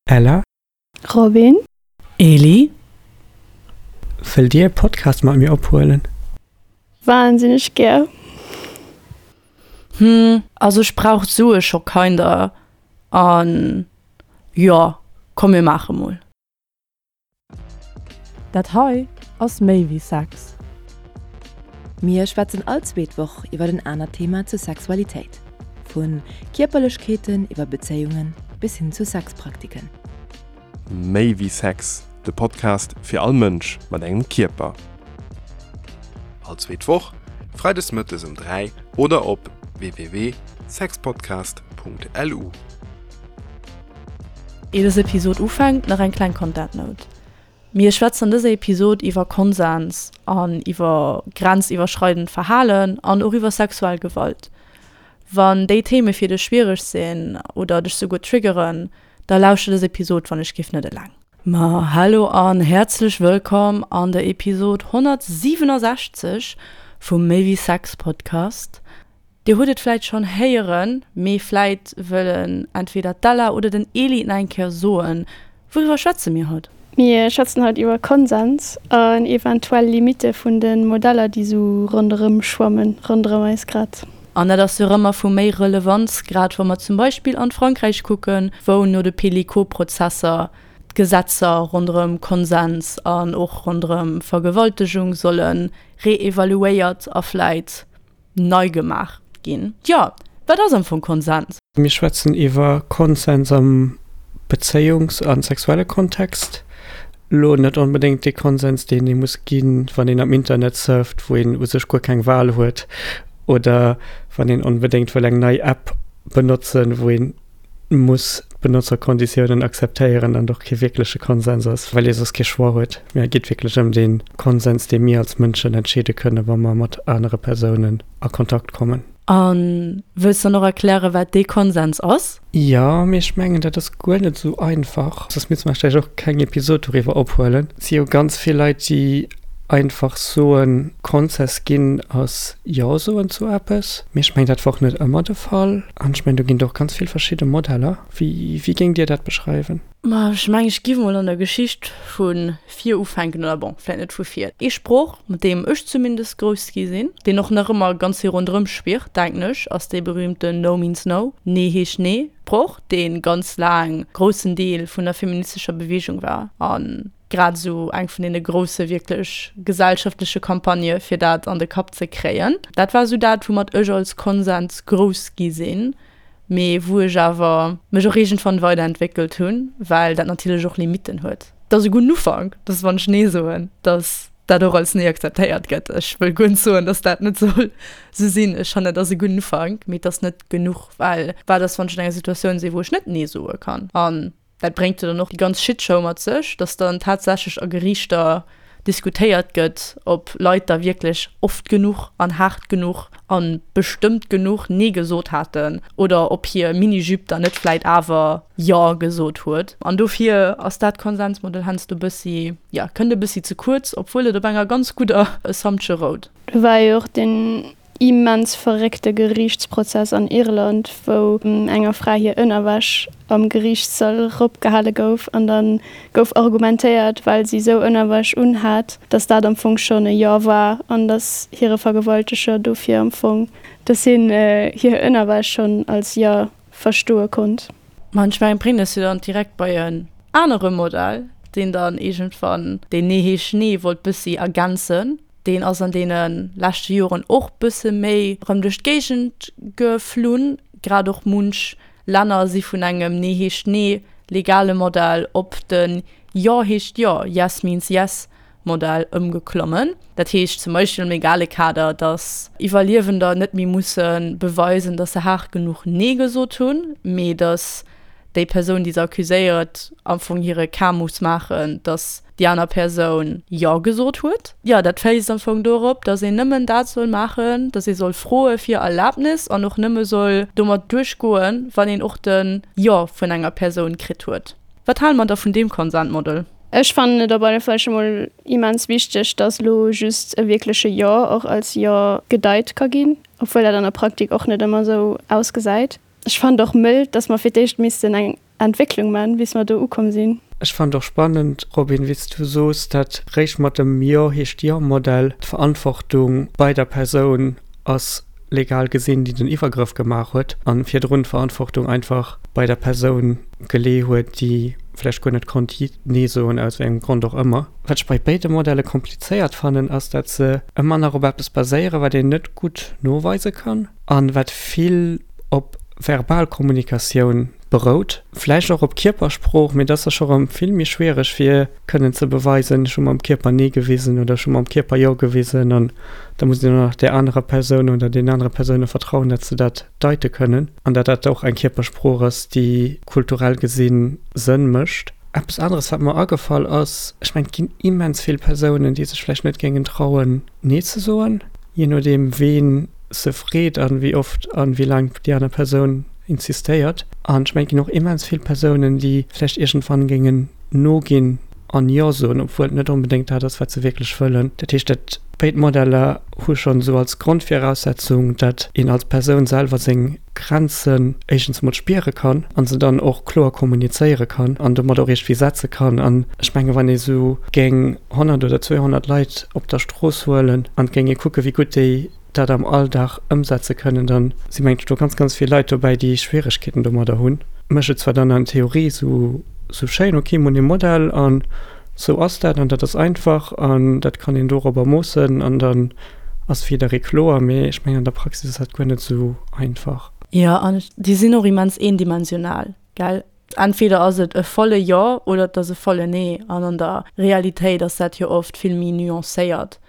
Ella? Robin? Eli? Wëllt dir e Podcast mat mir ophuelen? Wahnsinneg gär. Hm, also ech brauch d'Sue scho kinder an jo, komm mir maache mol. Dat hei ass méi wéi Sex. Mir schwätzen all zweet Woch iwwer en anert Thema zur Sexualitéit. Vu Kierperlechkeeten iwwer Bezéiungen bis hin zu Sexpraktiken. Méi wéi Sex, de Podcast fir all Mënsch mat engem Kierper. All zweet Woch, freides mëttes um 3 oder op www.sexpodcast.lu. Ier dës Episod ufänkt, nach eng kleng Content Note. Mir schwätzen an dëser Episod iwwer Konsens an iwwer grenziwwerschreidend Verhalen an och iwwer sexuell Gewalt. Wann déi Theme fir dech schwiereg sinn oder dech souguer triggeren, da lauschter dës Episod wann ech giff net eleng. Ma hallo an häerzlech wëllkomm an der Episod 167 vum Méi wéi Sex Podcast. Dir hutt et vläit schonn héieren, mee vläit wëllen entweder d'Ella oder den Eli et nach eng Kéier soen, Wouriwwer schwätze mir haut? Mir schwätzen haut iwwer Konsens an eventuell Limitte vun de Modeller, déi sou ronderëm schwammen, ronderëm eis grad. An dat ass jo erëm vu méi Relevanz, grad wa mer zum Beispill an Frankräich kucken, wou no de Pelicot-Prozesser d'Gesetzer ronderëm Konsens an och ronderëm Vergewaltegung solle reevaluéiert a vläit nei gemaach ginn. Jo, wat ass am Fong Konsens? Mir schwätzen iwwer Konsens am Bezéiungs a sexuelle Kontext. Elo net onbedéngt dee Konsens, deen ee muss ginn, wann een am Internet surft, wou een u sech guer keng Wal huet, oder wann een onbedéngt wëll eng nei App benotzen, wou een muss d'Benotzerkonditiounen akzeptéieren an och kee wierkleche Konsens ass, well ee soss kee Choix huet. Mee et geet wierklech ëm dee Konsens, dee mir als Mënschen entscheede kënnen, wa mer mat anere Persounen a Kontakt kommen. A wëlls dann och erklären, wat dee Konsens ass? Jo, mee ech mengen, dat ass guer net esou einfach. Soss misste mer vläicht och keng Episod doriwwer ophuelen. Et si jo ganz vill Leit, déi einfach soen, Konsens ginn ass Jo soen zu eppes. Mee ech mengen, dat war och net ëmmer de Fall. An ech mengen, do ginn et och ganz vill verschidde Modeller. Wéi, wéi géingt Dir dat beschreiwen? Ma ech mengen, ech giff mol an der Geschicht vu vir ufänken, oder bon, vläit net vu vir. Ee Sproch, mat deem ech zumindest grouss gi sinn, deen och nach ëmmer ganz vill ronderëm schwirrt, denken ech, ass dee berühmten No means no, Nee heescht Nee Sproch, dee ganz laang groussen Deel vun der feministescher Beweegung war an grad esou eng vun deene grousse wierklech gesellschaftleche Campagnë fir dat an de Kapp ze kréien. Dat war esou dat, woumat ech als Konsens grouss gi sinn, mee wou ech awer mech och iergendwann weiderentwéckelt hunn, well dat natierlech och Limitten huet. Et ass e gudden Ufank, dass wann ech Nee soen, dass dat och als Nee akzeptéiert gëtt. Ech wëll guer net soen, dass dat net soll esou sinn. Ech fannen, et ass e gudden Ufank, mee et ass net genuch, well wat ass, wann ech an enger Situatioun sinn, wou ech net Nee soe kann? An Dat bréngt jo dann och déi ganz Shitshow mat sech, dass dann tatsächlech a Geriichter diskutéiert gëtt, ob Leit da wierklech oft genuch an haart genuch a bestëmmt genuch Nee gesot haten oder ob hir Mini-Jupe dann net vläit awer Jo gesot huet. An dofir ass dat Konsensmodell heiansdo e bëssi, jo, kënnt e bëssi ze kuerz, obwuel et op enger ganz gudder Assumption rout. Do war jo och deen immens verréckte Geriichtsprozess an Irland, wou enger Fra hir Ënnerwäsch am Geriichtssall eropgehale gouf an da gouf argumentéiert, well si sou Ënnerwäsch unhat, datt dat am Fong schonn e Jo war an datt hire Vergewalteger dofir am Fong, datt hien hir Ënnerwäsch schonn als Jo verstoe konnt. Ma ech mengen, bréngt eis jo dann direkt bei en anere Modell, deen dann iergendwann deen Nee heescht Nee wollt bëssi ergänzen. Deen ass an deene leschte Joren och bësse méi erëm duerch d'Géigend geflunn. Grad och munch Länner si vun engem Nee heescht Nee legale Modell op de Jo heescht Jo, Yes means yes, Modell ëmgeklommen. Dat heescht zum Beispill am legale Kader, datt Iwwerliewender net méi musse beweisen, datt se haart genuch Nee gesot hunn, mee datt déi Persoun, déi se accuséiert, am Fong hire Cas muss maachen, datt déi aner Persoun Jo gesot huet. Jo, dat féisst am Fong dorop, datt een nëmmen dat soll maachen, datt ee soll froe fir Erlaabnis an och nëmme soll domat duerchgoen, wann een och de Jo vun enger Persoun kritt huet. Wat hale mer da vun deem Consent Model? Ech fannen et op alle Fall scho mol immens wichteg, datt elo just e wierkleche Jo och als Jo gedeit ka ginn, obwuel dat an der Praktik och net ëmmer esou ausgesäit. Ech fannen et och mëll, datt mer fir d'éischt missten eng. Entwécklung man, bis mer do ukomm sinn. Ech fannen et och spannend, Robin, wéi s du soos, dat réischt mat dem Jo heescht Jo-Modell d'Verantwortung bei der Persoun ass, legal gesinn, déi den Iwwergrëff gemaach huet, a virdrun d'Verantwortung einfach bei der Persoun gelee huet, déi vläicht guer net konnt Nee soen, aus wéi engem Grond och ëmmer. Wat ech bei béide Modelle komplizéiert fannen, ass, dat se ëmmer nach op eppes baséieren, wat een net gutt noweise kann a wat vill op verbal Kommunikatioun berout, vläicht och op Kierpersprooch, mee dat ass da scho rëm vill méi schwiereg fir kënnen ze beweisen, ech hu mam Kierper Nee gewisen oder ech hu mam Kierper Jo gewisen an da muss een och nach där anerer Persoun oder deenen anere Persoune vertrauen, datt se dat deite kënnen an datt dat och eng Kierpersprooch ass, déi kulturell gesi Sënn mécht. Eppes aneres, wat mer agefall ass, ech mengen, et ginn immens vill Persounen, déi sech vläicht net géingen trauen, Nee ze soen, jee nodeem ween se freet an wéi oft an wéi laang déi aner Persoun insistéiert. An ech mengen, et ginn och immens vill Persounen, déi vläicht iergendwann géingen noginn an Jo soen, obwuel et net onbedéngt dat ass, wat se wierklech wëllen. Dat heescht, dat béid Modeller hu schonn esou als Grondviraussetzung, dat een als Persoun selwer seng Grenzen éischtens emol spiere kann an se dann och kloer kommunizéiere kann an domat och iergendwéi setze kann. An ech menge wann ee sou géing 100 oder 200 Leit op der Strooss huelen an et géing ee kucke wéi gutt déi dat am Alldag ëmsetze kënnen, da si mengen ech do ganz, ganz vill Leit dobäi, déi Schwieregkeeten domadder hunn. Mécht et zwar dann an Theorie sou sou schéin, ok, mir hunn ee Modell an sou ass dat an dat ass einfach an dat kann een dorobber moossen an dann ass jidderee kloer, mee ech mengen an der Praxis ass dat guer net sou einfach. Jo, an déi sinn och immens eendimensional, gell? Entweder ass et e volle Jo oder et ass e volle Nee an an der Realitéit ass dat jo oft vill méi nuancéiert.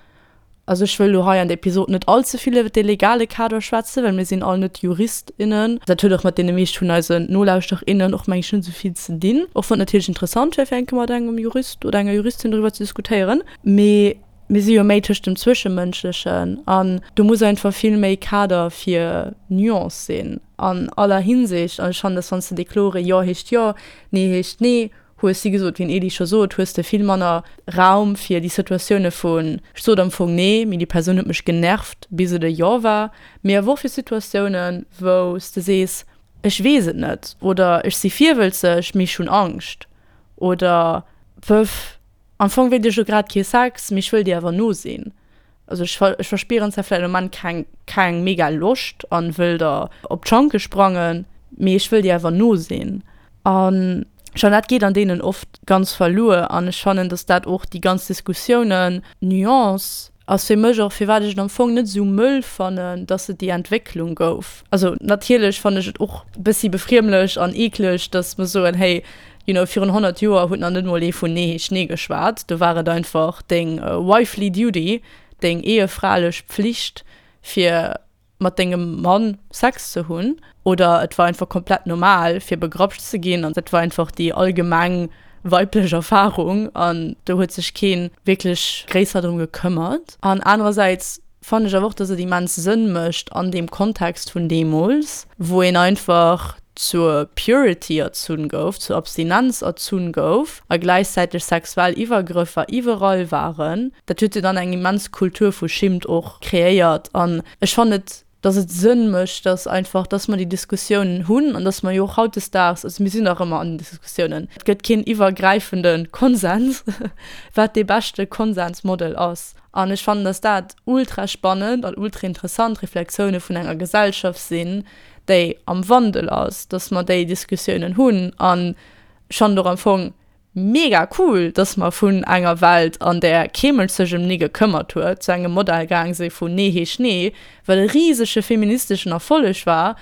Also ech wëll elo hei an der Episod net all ze vill iwwer dee legale Kader schwätzen, well mir sinn all net Jurist, innen. Dat huet och mat deene meescht vun eisen Nolauschterer, innen och meng ech net esou vill ze dinn, och wann et natierlech interessant wär fir eng Kéier mat engem Jurist oder enger Juristin doriwwer ze diskutéieren. Mee mir si jo méi tëscht dem Zwëschemënschlechen an do muss einfach vill méi Kader fir Nuance sinn an aller Hinsicht. An ech fannen, dass wann s de dee klore Jo heescht Jo, Nee heescht Nee hues, wéi gesot, wéi den Elie scho sot, hues de vill manner Raum fir déi Situatioune vun, ech sot am Fong Nee, mee déi Persoun huet mech genervt, bis et e Jo war, mee awer och fir Situatiounen, wou s de sees, ech weess et net oder ech si virwëlzeg, mee ech hunn Angscht oder pff, am Fong wéilt ech elo grad kee Sex, mee ech wëll dir awer no sinn. Also ech ech verspieren zwar vläicht am Moment keng keng mega Loscht an wëll der op d'Schanke sprangen, mee ech wëll dir awer no sinn. An schon dat geet an deenen oft ganz verluer an ech fannen, dass dat och déi ganz Diskussiounen, Nuance ass fir mech och firwat ech et am Fong net esou mëll fannen, dass et déi Entwécklung gouf. Also natierlech fannen ech et och bëssi befriemlech an eekleg, dass mer soen, hey, you know, virun 100 Joer huet nach net mol ee vun Nee heescht Nee geschwat. Do war et einfach deng wifely duty, deng ehefralech Pflicht, fir mat dengem Mann Sex ze hunn. Oder et war einfach komplett normal, fir begrapscht ze ginn. An dat war einfach déi allgemeng weiblech Erfarung. An do huet sech kee wierklech gréisser drëm gekëmmert. An anerersäits fannen ech awer och, dass et immens Sënn mécht an deem Kontext vun deemools, wou een einfach zur Purity erzunn gouf, zur Abstinenz erzunn gouf a gläichzäiteg sexuell Iwwergrëffer iwwerall waren. Dat huet jo dann eng immens Kultur vu Schimmt och kreéiert an ech fannen et, dass et Sënn mécht, dass einfach, dass mer déi Diskussiounen hunn an dass mer jo och hautdesdaags, also mir sinn nach ëmmer an den Diskussiounen, et gëtt keen iwwergräifende Konsens, wat dee beschte Konsensmodel ass. An ech fannen, dass dat ultra spannend an ultra interessant Reflexioune vun enger Gesellschaft sinn, déi am Wandel ass, dass mer déi Diskussiounen hunn. An ech fannen et och am Fong mega cool, dass mer vun enger Welt, an där kee Mënsch sech ëm Nee gekëmmert huet, zu engem Modell gaang si vun Nee heescht Nee, wat e risege feministeschen Erfolleg war,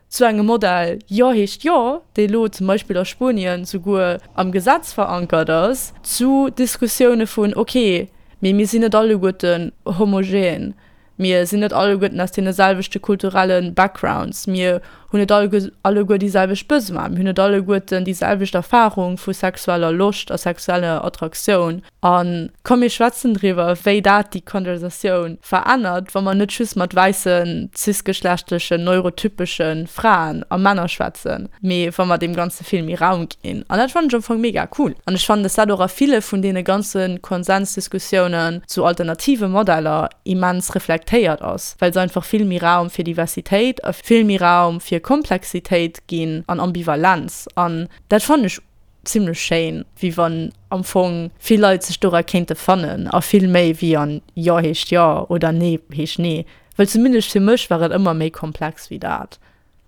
zu engem Modell Jo heescht Jo, dee lo zum Beispill a Spuenien souguer am Gesetz verankert ass, zu Diskussioune vun, ok, mee mir sinn net alleguerten homogen, mir sinn net alleguerten aus deene selwechte kulturelle Backgrounds, mir hunn net alleguer déi selwecht Besoinen, mir hunn net alleguerten déi selwecht Erfarung vu sexueller Loscht a sexueller Attraktioun. A komm mir schwätzen driwwer, wéi dat déi Konversatioun verännert, wa mer net just mat wäissen, cisgeschlechtlechen, neurotypesche Fraen a Männer schwätzen, mee wa mer deem Ganze vill méi Raum ginn. An dat fannen ech am Fong mega cool. An ech fannen, dass dat och a ville vun deene ganze Konsensdiskussiounen zu alternative Modeller immens reflektéiert ass, well se einfach vill méi Raum fir Diversitéit a vill méi Raum fir. Komplexitéit ginn an Ambivalenz. An dat fannen ech zimlech schéin, wéi wann am Fong vill Leit sech dora kéinte fannen a vill méi wéi an Jo heescht Jo oder Nee heescht Nee. Well zumindest fir mech war et ëmmer méi komplex wéi dat.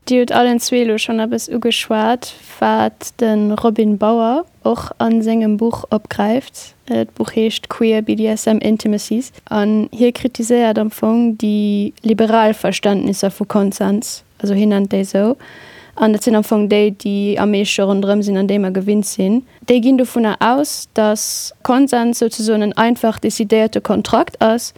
Dir hutt allen zwee elo schonn eppes ugeschwat, wat de Robin Bauer och a sengem Buch opgräift. D'Buch heescht Queer BDSM Intimacies an hie kritiséiert am Fong déi liberal Verständnisser vu Konsens, also hien nennt déi esou, an dat sinn am Fong déi, déi am meeschte ronderëm sinn an déi mer gewinnt sinn. Déi ginn dovunner aus, datt Konsens souzesoen en einfach decidéierte Kontrakt ass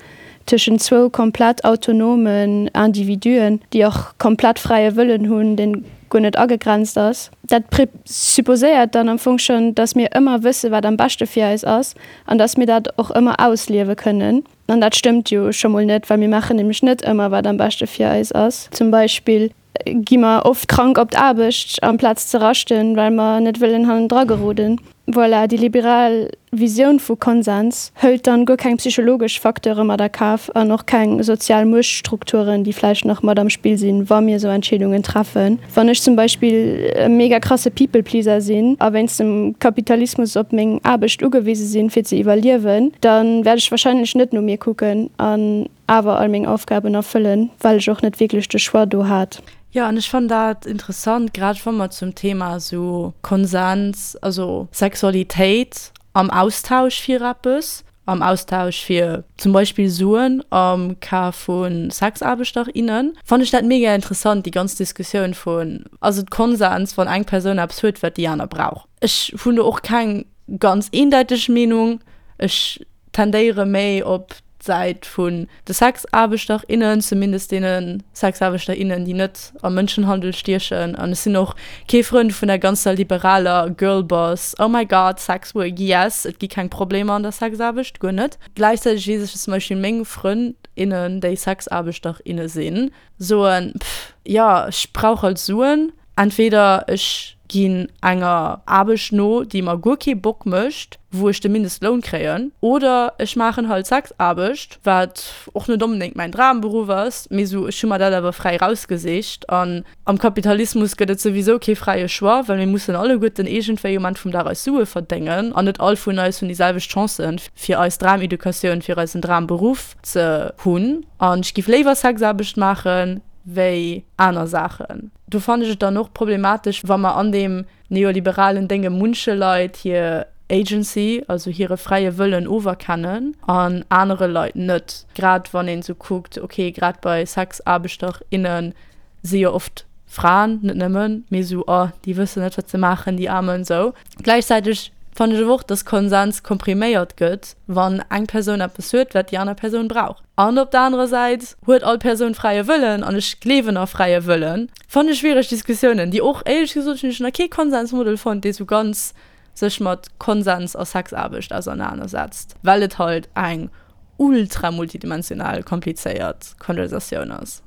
tëschent zwou komplett autonomen Individuen, déi och komplett fräie Wëllen hunn, deen guer net agegrenzt ass. Dat présupposéiert dann am Fong schonn, datt mir ëmmer wësse wat am beschte fir eis ass an datt mir dat och ëmmer ausliewe kënnen. An dat stëmmt jo scho mol net, well mir maachen nämlech net ëmmer wat am beschte fir eis ass. Zum Beispill gi mer oft krank op d'Aarbecht amplaz ze raschten, well mer net wëllen hannendra geroden. Voilà, déi liberal Visioun vu Konsens hëlt dann guer keng psychologesch Facteure mat a Kaf an och keng sozial Muechtstrukturen, déi vläicht nach mat am Spill sinn, wa mir esou Entscheedungen treffen. Wann ech zum Beispill e mega krasse People-Pleaser sinn a wéinst dem Kapitalismus op meng Aarbecht ugewise sinn, fir ze iwwerliewen, da wäert ech wahrscheinlech net no mir kucken an awer all meng Aufgaben erfëllen, well ech och net wierklech de Choix do hat. Jo, an ech fannen dat interessant, grad wa mer zum Thema esou Konsens, also Sexualitéit am Austausch fir eppes, am Austausch fir zum Beispill Suen am Cas vu Sexaarbechter, innen, fannen ech dat mega interessant, déi ganz Diskussioun vun, ass et Konsens, wann eng Persoun eppes huet, wat déi aner brauch? Ech hunn do och keng ganz eendeiteg Meenung. Ech tendéiere méi op d'Säit vun de Sexaarbechter, innen, zumindest deene Sexaarbechter, innen, déi net am Mënschenhandel stiechen. An ech sinn och kee Frënd vun der ganzer liberaler Girlboss, oh my god, sex work, yes, et gi keng Problemer an der Sexaarbecht, guer net. Gläichzäiteg weess ech, dass zum Beispill meng Frënd, innen, déi Sexaarbechter, inne sinn, soen, pff, jo, ech brauch halt Suen, Entweder ech ginn enger Aarbecht no, déi mer guer kee Bock mécht, wou ech de Mindestloun kréien, oder ech maachen halt Sexaarbecht, wat och net onbedéngt mäin Dramberuff ass, mee sou ech hu mer dat awer fräi rausgesicht. An am Kapitalismus gëtt et souwisou kee fräie Choix, well mir mussen alleguerten iergendwéi um Enn vum Dag eis Sue verdéngen an net all vun eis hunn déi selwecht Chancen, fir eis Drameducatioun, fir eisen Dramberuff ze hunn. An ech giff léiwer Sexaarbecht maachen, wéi aner Saachen. Do fannen ech et dann och problematesch, wa mer an deem neoliberalen Dénge munche Leit hir Agency, also hire fräie Wëllen oferkennen an anere Leit net. Grad wann een esou kuckt, okay, grad bei Sexaarbechter, inne si jo oft Fraen, net nëmmen, mee esou, oh, déi wëssen net, wat se maachen, déi Aarmen, esou. Gläichzäiteg fannen ech awer och, dass Konsens kompriméiert gëtt, wann eng Persoun eppes huet, wat déi aner Persoun brauch. An op der anerer Säit huet all Persoun fräie Wëllen, an ech gleewen a fräie Wëllen. Fannen ech schwiereg Diskussiounen, déi och, éierlech gesot, hunn ech nach kee Konsensmodel fonnt, dee sou ganz sech mat Konsens a Sexaarbecht ausernanersetzt, well et halt eng ultra multidimensional komplizéiert Konversatioun ass.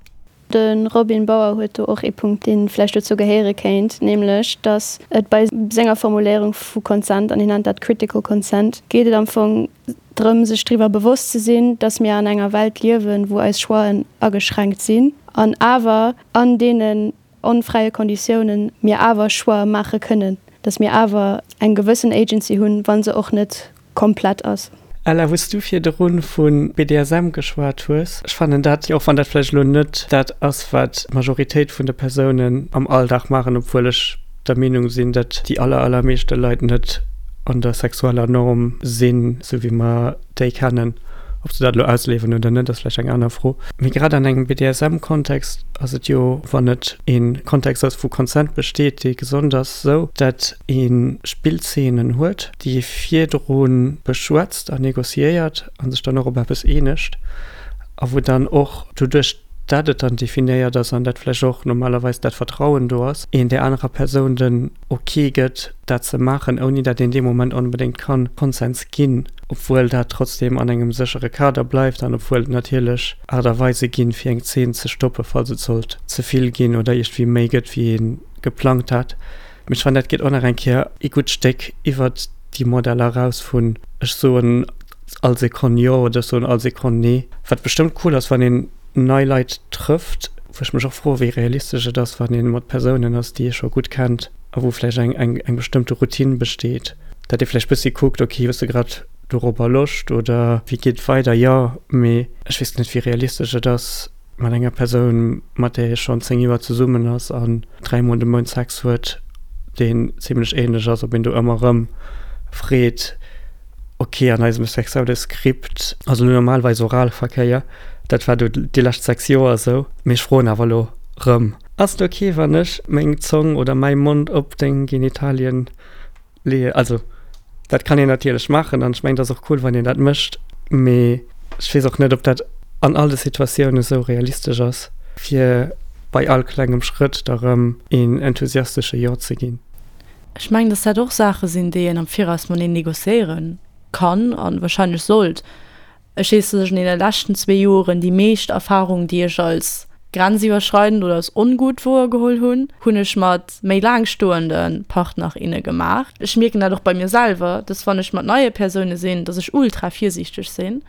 De Robin Bauer huet do och ee Punkt, dee vläicht dozou gehéiere kéint, nämlech datt et bei senger Formuléierung vu Consent, an hien nennt dat critical consent, geet et am Fong drëm, sech driwwer bewosst ze sinn, datt mir an enger Welt liewen, wou eis Choixen ageschränkt sinn an awer an deenen onfräie Konditiounen mir awer Choixë maache kënnen, datt mir awer eng gewëssen Agency hunn, wa se och net komplett ass. Ella, wou s du virdrun vu BDSM geschwat hues, ech fannen dat, och wann dat vläicht elo net dat ass, wat d'Majoritéit vun de Persounen am Alldag maachen, obwuel ech der Meenung sinn, datt déi aller, allermeeschte Leit net an der sexueller Norm sinn, esou wéi mer déi kennen. Ob se dat elo ausliewen oder net, ass vläicht eng aner Fro. Mee grad an engem BDSM-Kontext ass et jo, wann et ee Kontext ass, wou Consent besteet, dee gesond ass, esou, datt ee Spillzeenen huet, déi ee virdru beschwätzt an négociéiert a sech dann och op eppes eenegt a wou dann och doduerch, dat et dann definéiert ass an dat vläicht och normalerweis dat Vertrauen do ass, een där anerer Persoun den Ok gëtt, dat ze maachen, ouni dat een dee Moment onbedéngt ka Konsens ginn, obwuel dat trotzdem an engem séchere Kader bleift an obwuel et natierlech Aart a Weise ginn, fir eng Zeen ze stoppen, falls et sollt ze vill ginn oder iergendwéi méi gëtt, wéi ee geplangt hat. Mee ech fannen, dat geet och nach eng Kéier ee gutt Stéck iwwert déi Modeller eraus vun ech soen all Sekonn jo oder ech soen all Sekonn nee. Wat bestëmmt cool ass, wann een nei Leit trëfft, Wou ech mech och froe wéi realistesch et ass, wann ee mat Persounen ass, déi ee scho gutt kennt a wou vläicht eng, eng, eng bestëmmte Routine besteet, datt ee vläicht bëssi kuckt, ok, hues de grad dorobber Loscht oder wéi geet et weider? Jo, mee ech weess net, wéi realistesch et ass mat enger Persoun, mat där ee schonn 10 Joer zesummen ass an dräimol de Mount Sex huet, deen zimlech ähnlech ass, ob een do ëmmer erëm freet, ok, an eisem sexuelle Skript ass elo normalerweis Oralverkéier, dat war do déi lescht 6 Joer esou, mee ech froen awer elo rëm. Ass et ok, wann ech meng Zong oder mäi Mond op deng Genitalien leeën? Also, dat kann een natierlech maachen an ech mengen, et ass och cool, wann een dat mécht, mee ech weess och net, ob dat an all de Situatiounen esou realistesch ass, fir bei all klengem Schrëtt da rëm een enthusiastesche Jo ze ginn. Ech mengen, dass dat och Saache sinn, déi een am Viraus mateneen négociéiere kann a wahrscheinlech sollt. Ech weess, dass ech an deene leschten zwee Joren déi meescht Erfahrung, déi ech als grenziwwerschreidend oder als ongutt wouergeholl hunn, hunn ech mat méi laang stoende Partner, inne gemaach. Ech mierken dat och bei mir selwer, dass wann ech mat neie Persoune sinn, dass ech ultra virsiichteg sinn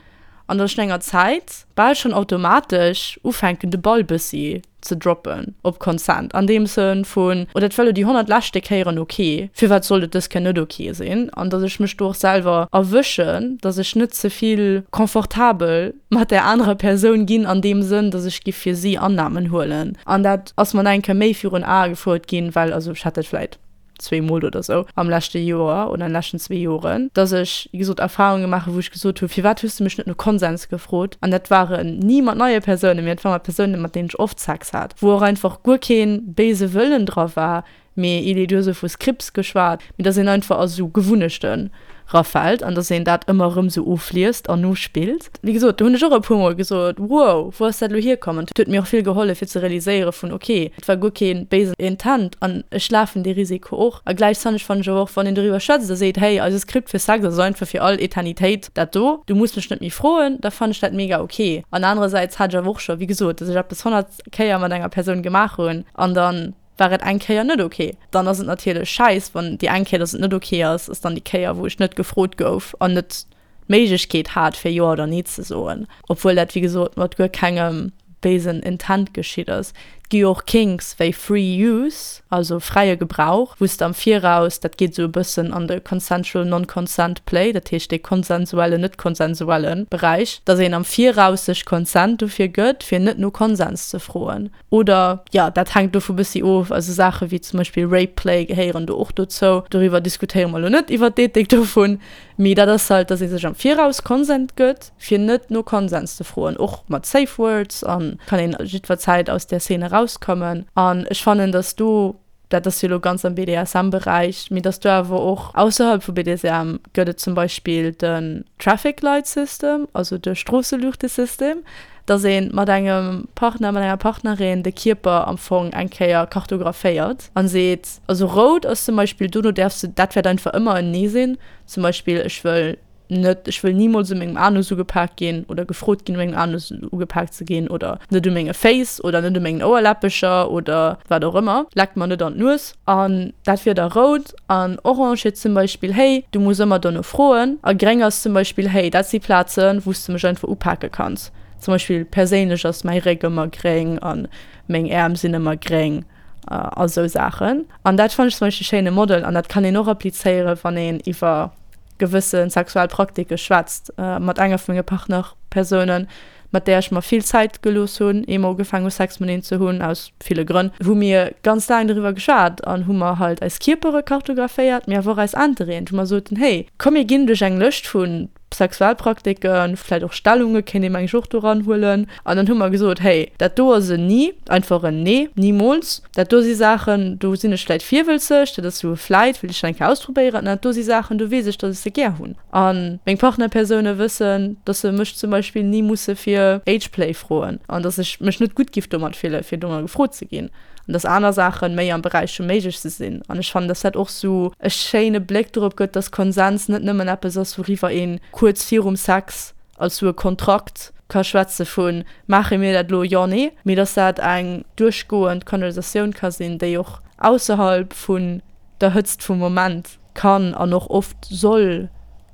an dass ech no enger Zäit bal schonn automatesch ufänken de Ball bëssi ze droppen op Consent an deem Sënn vun, oh dat war elo déi 100 leschte Kéieren ok, firwat sollt et dës Kéier net ok sinn? An datt ech mech do och selwer erwëschen, datt ech net ze vill confortabel mat där anerer Persoun ginn an deem Sënn, datt ech giff fir si Annamen huelen. An dat ass mer nach eng Kéier méi virun Ae gefouert ginn, well also ech hat dat vläit zweemol oder sou am leschte Joer oder an de leschten zwee Joren, dass ech, wéi gesot, Erfahrunge gemaach hu wou ech gesot hu firwat hues du mech net no Konsens gefrot? An dat waren ni mat neie Persounen, mee dat war mat Persounen, mat deenen ech oft Sex hat, wou och einfach guer kee béise Wëllen dra war, mee il est, du hues elo vu Scripts geschwat, mee dass een einfach a sou Gewunnechten rafält an dass een dat ëmmer erëm sou ofliest an nospillt. Wéi gesot, do hunn ech och e puer Mol gesot, wow, wou ass dat elo hierkomm? An et huet mir och vill gehollef fir ze realiséiere vun, ok, et war guer kee béisen Intent an ech lafen dee Risiko och. A gläichzäiteg fannen ech awer och, wann een doriwwer schwätzt a seet, hey, eise Skript fir Sex ass einfach fir all Eternitéit dat do, du muss mech net méi froen, da fannen ech dat mega ok. An anerersäits hat ech awer och scho, wéi gesot, dass ech eppes 100 Kéier mat enger Persoun gemaach hunn an dann, war et eng Kéier net ok. Dann ass et natierlech schäiss, wann déi eng Kéier, dass et net ok ass, ass dann déi Kéier, wou ech net gefrot gouf an net d'Méiglechkeet hat, fir Jo oder Nee ze soen. Obwuel dat, wéi gesot, mat guer kengem béisen Intent geschitt ass. Et gi jo och Kinks wéi Free Use, also fräie Gebrauch, wou s de am Viraus, dat geet esou e bëssen an de Consensual Non-Consent Play, dat heescht dee konsensuellen, net-konsensuelle Beräich, dass een am Viraus sech Consent dofir gëtt, fir net no Konsens ze froen. Oder, jo, dat hänkt dovu bëssi of. Also Saache wéi zum Beispill Rape Play gehéieren do och dozou. Doriwwer diskutéiere mer elo net, iwwer d'Ethik dovun. Mee dat ass halt, dass ee sech am Viraus Consent gëtt, fir net no Konsens ze froen. Och mat Safe Words a kann een jiddwer Zäit aus där Szene erauskommen. An ech fannen, dass do, dat ass jo elo ganz am BDSM-Beräich, mee dass do awer och ausserhalb vu BDSM gëtt et zum Beispill den Traffic Light System, also de Stroosseluuchtesystem, dass ee mat engem Partner, mat enger Partnerin de Kierper am Fong eng Kéier kartographéiert an seet, also rout ass zum Beispill, dono däerfs de, dat wäert einfach ëmmer en Nee sinn, zum Beispill ech wëll net, ech wëll nimools u mengem Anus ugepak ginn oder gefrot ginn u mengem Anus ugepak ze ginn oder net u menge Féiss oder net u mengen Ouerläppecher oder wat och ëmmer, leck mer net an d'Nues. An dat wier da rout. An orange wier zum Beispill, hey, du muss ëmmer dono froen. A gréng ass zum Beispill, hey, dat si Plazen, wou s de mech einfach upake kanns. Zum Beispill perséinlech ass mäi Réck ëmmer gréng a meng Äerm sinn ëmmer gréng a sou Saachen. An dat fannen ech zum Beispill e schéine Model an dat kann een och applizéieren, wann een iwwer gewësse sexuell Praktike schwätzt mat enger vu menge Partnerpersounen, mat där ech mer vill Zäit gelooss hunn, ier mer ugefaangen hu Sex mateneen ze hunn, aus ville Grënn, hu mir ganz laang doriwwer geschwat an hu mer halt eis Kierpere kartographéiert, mee awer och eis Interêten, wou mer soten, hey, komm mir ginn duerch eng Lëscht vu Sexualpraktiken, vläicht och Stellunge kéint ee meng ech och do eranhuelen. An dann hu mer gesot, hey, dat do ass en Ni, einfach en Nee, nimools. Dat do si Saachen, do sinn ech vläit virwëlzeg, dat ass sou e vläit, wëll ech dat eng Kéier ausprobéieren. An dat do si Saachen, do weess ech, datt ech se gär hunn. A meng Partnerpersoune wëssen, datt se mech zum Beispill ni musse fir Ageplay froen an datt ech mech net gutt giff domat fillen, fir domat gefrot ze ginn. An datt aner Saache méi am Beräich vum Méiglechste sinn. An ech fannen, datt dat och sou e schéine Bléck dorop gëtt, datt Konsens net nëmmen eppes ass, wouriwwer ee kuerz virum Sex als sou e Kontrakt ka schwätze vu maache mir dat elo, jo, nee, mee dass dat eng duerchgoend Konversatioun ka sinn, déi och ausserhalb vun der Hëtzt vum Moment kann an och oft soll.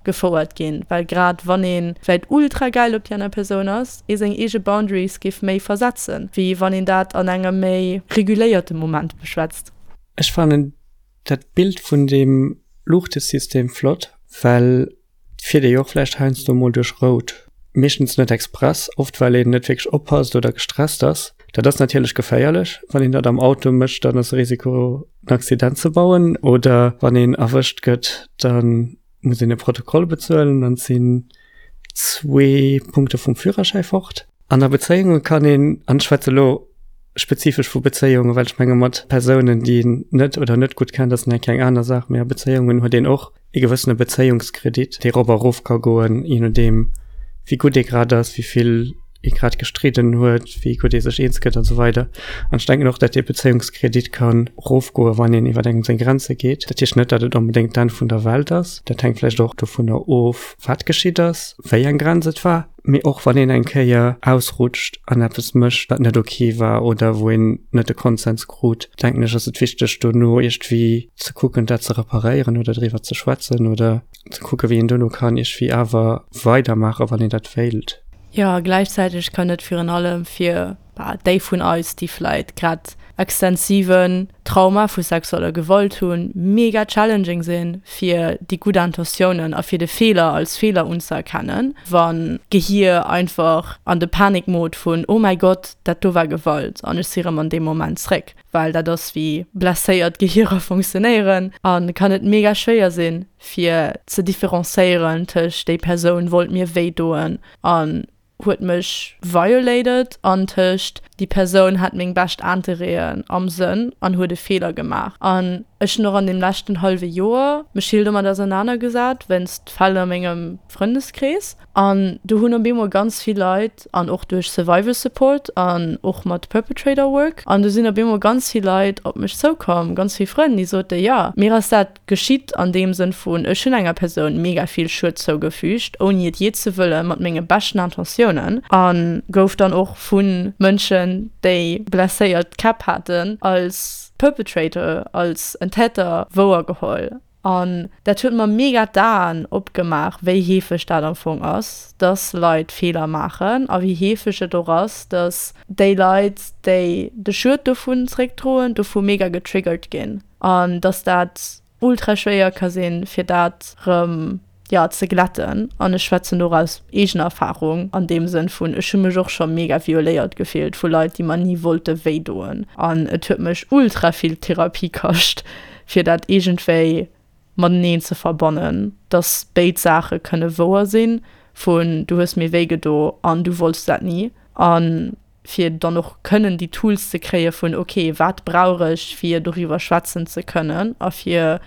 gefouert ginn, well grad wann ee vläit ultra gäil op déi aner Persoun ass, ee seng eege Boundaries géif méi versetzen, wéi wann een dat an engem méi reguléierte Moment beschwätzt. Ech fannen dat Bild vun deem Luuchtesystem flott, well et fiert ee jo och vläicht heiansdo mol duerch rout, meeschtens net express, oft well een net wierklech oppasst oder gestresst ass. Dat ass natierlech geféierlech, wann een dat am Auto mécht, dann ass de Risiko en Accident ze bauen oder wann een erwëscht gëtt, da muss een e Protokoll bezuelen, dann sinn zwee Punkte vum Führerschäi fort. An a Bezéiunge kann een, an ech schwätze elo spezifesch vu Bezéiungen, well ech menge mat Persounen, déi een net oder net gutt kennt, ass nach eng aner Saach, mee a Bezéiungen huet een och ee gewëssene Bezéiungskredit, dee rop a rof ka goen, je nodeem wéi gutt ee grad ass, wéi vill ee grad gestridden huet, wéi gutt ee sech eens gëtt an esou weider. An ech denken och, datt dee Bezéiungskredit ka rofgoen, wann een iwwer engem seng Grenze geet. Dat heescht net, datt et onbedéngt d'Enn vun der Welt ass. Dat hänkt vläicht och dovunner of, wat geschitt ass, wéi eng Grenz et war. Mee och wann een eng Kéier ausrutscht an eppes mécht, wat net ok war oder wou een net de Konsens krut, denken ech, ass et wichteg, dono iergendwéi ze kucken, dat ze reparéieren oder driwwer ze schwätzen oder ze kucken, wéi een dono kann iergendwéi awer weidermaachen, wann een dat wéilt. Jo, gläichzäiteg kann et virun allem fir déi vun eis, déi vläit grad extensiven Trauma vu sexueller Gewalt hunn, mega challenging sinn, fir déi gutt Intentiounen a fir de Feeler als Feeler unzëerkennen, wann d'Gehier einfach an de Panikmode vun Oh mäi Gott, dat do war Gewalt an ech si rëm an deem Moment zréck, well dat ass wéi blesséiert Gehierer funktionéieren a kann et mega schwéier sinn, fir ze differenzéieren tëscht déi Persoun wollt mir wéi doen an huet mech violated an tëscht déi Persoun hat meng bescht Interêten am Sënn an huet e Feeler gemaach. An ech hunn och an deem leschten hallwe Joer mech vill domat ausernanergesat wéinst Fäll a mengem Frëndeskrees. An do hunn op eemol ganz vill Leit, an och duerch Survivor Support an och mat Perpetrator Work, an do sinn op eemol ganz vill Leit op mech zoukomm, ganz vill Frënn, déi sote jo, mir ass dat Geschitt an deem Sënn vun, ech hunn enger Persoun mega vill Schued zougefügt, ouni et jee ze wëllen, mat menge beschten Intentiounen, a gouf dann och vu Mënschen, déi blesséiert Käpp haten, als Perpetrator, als en Täter wouergeholl. An dat huet mer mega d'Aen opgemaach, wéi heefeg dat am Fong ass, dass Leit Feeler maachen a wéi heefeg et och ass, dass déi Leit, déi de Schued dovun zréckdroen, dovu mega getriggert ginn. An dass dat ultra schwéier ka sinn, fir dat rëm, jo, ze glätten. An ech schwätzen do och aus eegener Erfarung an deem Sënn vun, ech hu mech och scho mega violéiert gefillt vu Leit, déi mer ni wollte wéi doen. An et huet mech ultra vill Therapie kascht, fir dat iergendwéi mateneen ze verbannen, dass béid Saache kënne wouer sinn, vun du hues mir wéi gedo an du wollts dat ni. An fir dann och kënnen déi Tools ze kréie vun, ok, wat brauch ech, fir doriwwer schwätzen ze kënnen a fir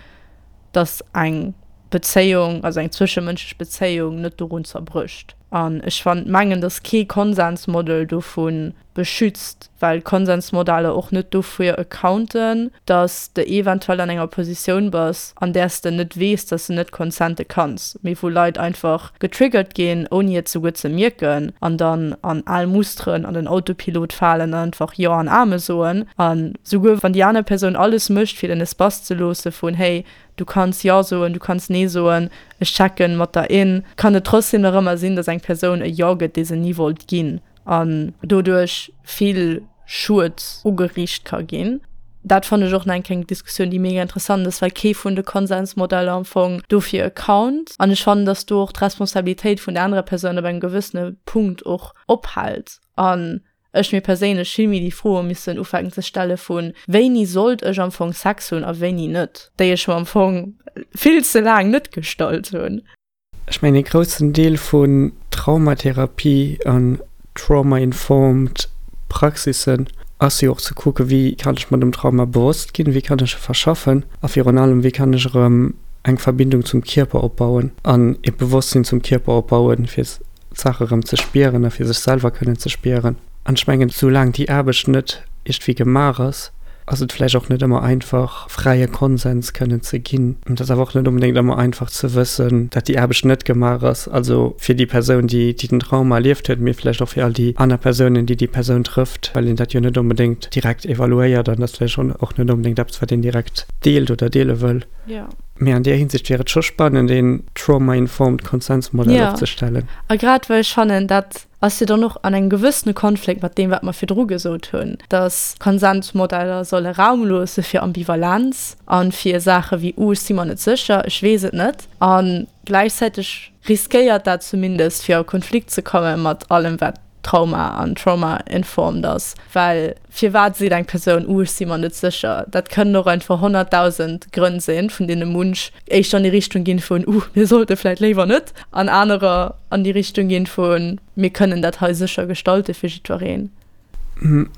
datt eng Bezéiung, also eng zwëschemënschlech Bezéiung net dorun zerbrécht. An ech fan mengen, datt kee Konsensmodel dovu beschützt, well Konsensmodeller och net dofir accounten, datt de eventuell an enger Positioun bass, an där s de net weess, datt s de net consente kanns, mee wou Leit einfach getriggert ginn, ouni et souguer ze mierken, an dann an al Musteren, an den Autopilot falen an einfach Jo an Ame soen. A souguer wann déi aner Persoun alles mécht, fir den Espace ze loosse vun, Hey, du kanns Jo soen, du kanns Nee soen, ech checken mat der in, kann et trotzdem nach ëmmer sinn, datt eng Persoun e Jo gëtt, dee se ni wollt ginn. an doduerch vill Schued ugeriicht ka ginn. Dat fannen ech och nach eng kleng Diskussioun, déi mega interessant ass, well kee vun de Konsensmodeller am Fong dofir account. An ech fannen, dass do och d'Responsabilitéit vun der anerer Persoun op engem gewëssene Punkt och ophält an ech mir perséinlech vill méi déi Froe missen ufänken ze stelle vu wéini sollt ech am Fong Sex hunn a wéini net, déi ech mer am Fong vill ze laang net gestallt hunn. Ech mengen ee groussen Deel vun Traumatherapie an trauma-informed Praxissen ass jo och ze kucken, wéi kann ech mer dem Trauma bewosst ginn, wéi kann ech e verschaffen a virun allem, wéi kann ech erëm eng Verbindung zum Kierper opbauen an ee Bewosstsinn zum Kierper opbauen, fir d'Saach erëm ze spieren a fir sech selwer kënnen ze spieren. An ech mengen, soulaang déi Aarbecht net iergendwéi gemaach ass. Ass et vläicht och net ëmmer einfach, fräie Konsens kënnen ze ginn. Et ass awer och net onbedéngt ëmmer einfach ze wëssen, dat déi Aarbecht net gemaach ass, also fir déi Persoun, déi déi den Trauma erlieft huet, mee vläicht och fir all déi aner Persounen, déi déi Persoun trëfft, well een dat jo net onbedéngt direkt evaluéiert an dat ass vläicht och net onbedéngt eppes, wat een direkt deelt oder deele wëll. Mee an där Hinsicht wier et scho spannend, een trauma-informed Konsensmodell opzestellen. A grad well ech fannen, dat ass jo dann och an engem gewëssene Konflikt mat deem, wat mer virdru gesot hunn, dass Konsensmodeller solle Raum loosse fir Ambivalenz a fir Saache wéi, Uh, ech si mer net sécher, ech weess et net. A gläichzäiteg riskéiert dat zumindest, fir a Konflikt ze komme mat allem, wat Trauma an trauma-informed ass, well firwat seet eng Persoun, Uh, ech si mer net sécher? Dat kënnen och einfach 100.000 Grënn sinn, vun deene munch éischter an déi Richtung ginn vun, Uh, mir sollte vläit léiwer net, an anerer an déi Richtung ginn vun, Mir kënnen dat hei sécher gestalte fir jiddwereen.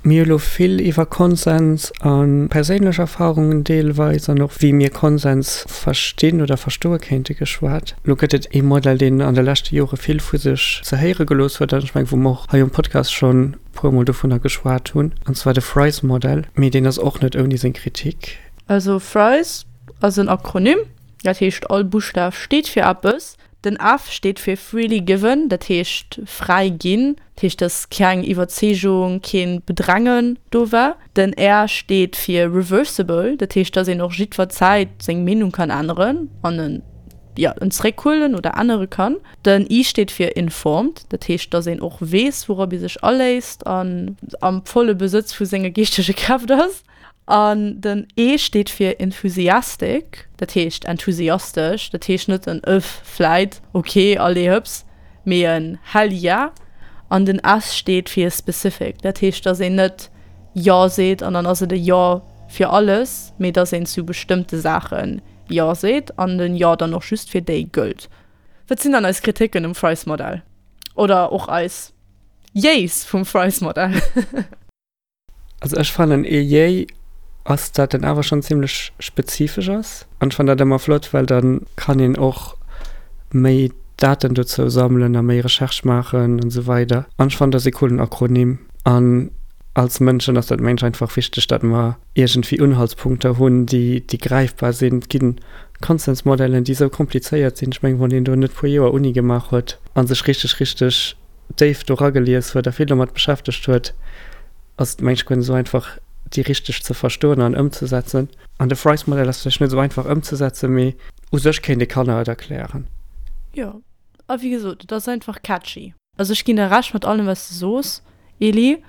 Mir hu lo vill iwwer Konsens a perséinlech Erfarungen deelweis an och wéi mir Konsens verstinn oder verstoe kéinte geschwat. Lo gëtt et ee Modell, deen an de leschte Jore vill vu sech ze héiere gelooss huet an ech mengen, wou mer och hei um Podcast schonn e puermol dovunner geschwat hunn, an zwar de FRIES-Modell. Mee deen ass och net ouni seng Kritik. Also FRIES ass en Akronym, dat heescht all Buschtaf steet fir eppes. Den F steet fir freely given, dat heescht fräi ginn, dat heescht dass keng Iwwerzeegung, keen Bedrängen do war. Den R steet fir reversible, dat heescht dass een och jiddwer Zäit seng Meenung kann änneren an en, jo, en zeréckhuelen oder ännere kann. Den I steet fir informed, dat heescht dass een och weess wourop ee sech aléisst an am volle Besëtz vu senge geeschtege Kräft ass. An den E steet fir enthusiastic, dat heescht enthusiastesch, dat heescht net en Öff, vläit, ok, allez hëps, mee en Hell yeah. An den S steet fir specific, dat heescht, dass een net Jo seet an dann ass et e Jo fir alles, mee dass een zu bestëmmte Saache Jo seet an den Jo dann och just fir déi gëllt. Wat sinn dann eis Kriticken um Fries-Modell? Oder och eis Jees vum Fries-Modell? Also ech fannen ee Yay ass dat en awer schon zimlech spezifesch ass an ech fannen dat emmer flott well dann kann een och méi Daten dozou sammelen a méi Recherche maachen an esou weider an ech fannen dat ass ee coolen Akronym an als Mënschen ass dat mengen ech einfach wichteg dat mer iergendwéi Unhaltspunkter hunn déi déi gräifbar sinn. Et ginn Konsensmodellen déi esou komplizéiert sinn, ech mengen wann een do net puer Joer Uni gemaach huet an sech richteg richteg déif do ragelies huet a vill domat beschäftegt huet, ass et mengen ech guer net esou einfach déi richteg ze verstoen an ëmzesetzen. An de Fries-Modell ass vläicht net esou einfach ëmzesetzen, mee u sech kéint ee Kanner et erklären. Jo, a wéi gesot, et ass einfach catchy. Also ech ginn der Recht mat allem wat s de soos, Eli,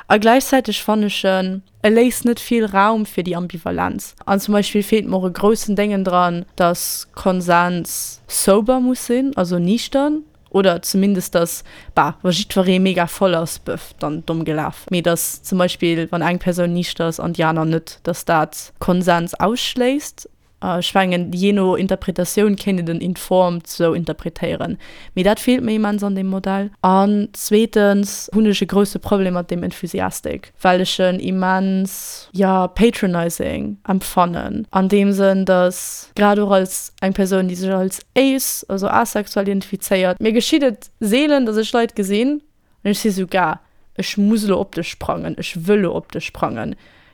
a gläichzäiteg fannen ech en, e léisst net vill Raum fir déi Ambivalenz. An zum Beispill feelt mer och e groussen Déngen dran, dass Konsens sober muss sinn, also niichtern. Oder zumindest dass, bah, wa jiddweree mega voll ass, bëff, dann domm gelaf. Mee dass zum Beispill, wann eng Persoun niichter ass an déi aner net, dass dat Konsens ausschléisst. Ech mengen, jee no Interpretatioun kéint een den informed sou interpretéieren. Mee dat feelt mir immens an deem Modell. An zweetens hunn ech e grousse Problem mat deem enthusiastic, well ech en immens, jo, patronizing empfannen. An deem Sënn, dass grad och als eng Persoun, déi sech als ace, also asexuell identifizéiert. Mir geschitt et seelen, dass ech Leit gesinn an ech si sou, Gah, ech muss elo op dech sprangen, ech wëll elo op dech sprangen.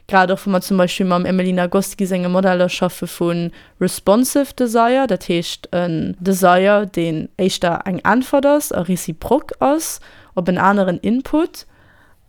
Grad och wa mer zum Beispill mam Emily Nagoski senge Modeller schaffe vu responsive desire, dat heescht en Desire, deen éischter eng Äntwert ass a reciproque ass op en aneren Input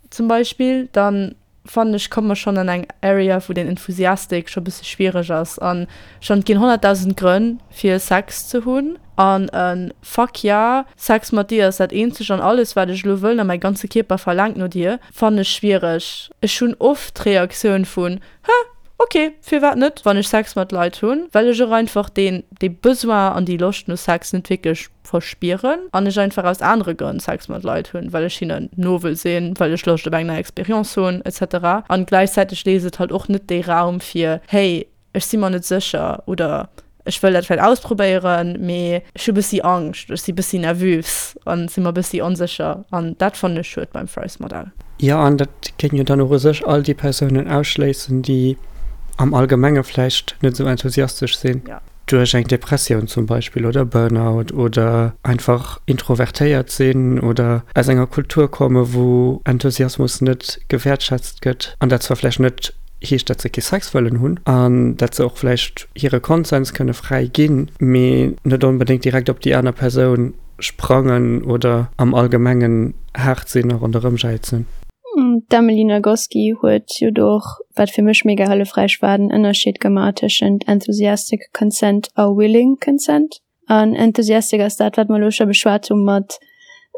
zum Beispill, dann fannen ech, komme mer schonn an eng Area, wou den Enthusiastic scho bësse schwiereg ass. An schonn, et ginn 100.000 Grënn, fir Sex ze hunn. An e Fuck yeah, Sex mat dir ass dat eenzegt an alles, wat ech elo wëll a mäi ganze Kierper verlaangt no dir, fannen ech schwiereg. Ech hunn oft d'Reaktioun vun, Hä, ok, firwat net, wann ech Sex mat Leit hunn, well ech och einfach deen, dee Besoin an déi Loscht no Sex net wierklech verspieren an ech einfach aus anere Grënn Sex mat Leit hunn, well ech hinnen no wëll sinn, well ech Loscht op eng nei Experience hunn, etc. An gläichzäiteg léisst et halt och net dee Raum fir, hey, ech si mer net sécher oder ech wëll dat vläicht ausprobéieren, mee ech hu bëssi Angscht, ech si bëssi nervös an si mer bëssi onsécher an dat fannen ech schued beim Fries-Modell. Jo, an dat géing jo dann och u sech all déi Persounen ausschléissen, déi am Allgemenge vläicht net esou enthusiastesch sinn. Duerch eng Depressioun zum Beispill oder Burnout oder einfach introvertéiert sinn oder aus enger Kultur komme wou Enthusiasmus net gewäertschätzt gëtt an dat zwar vläicht net. heescht, datt se kee Sex wëllen hunn an datt se och vläicht hire Konsens kënne fräi ginn, mee net onbedéngt direkt op déi aner Persoun sprangen oder am Allgemengen haart sinn a ronderëm jäizen. D'Emily Nagoski huet jo do och, wat fir mech mega hëllefräich war, den Ënnerscheed gemaach tëschent enthusiastic consent a willing consent. An enthusiastic ass dat, wat mer elo scho beschwat hu mat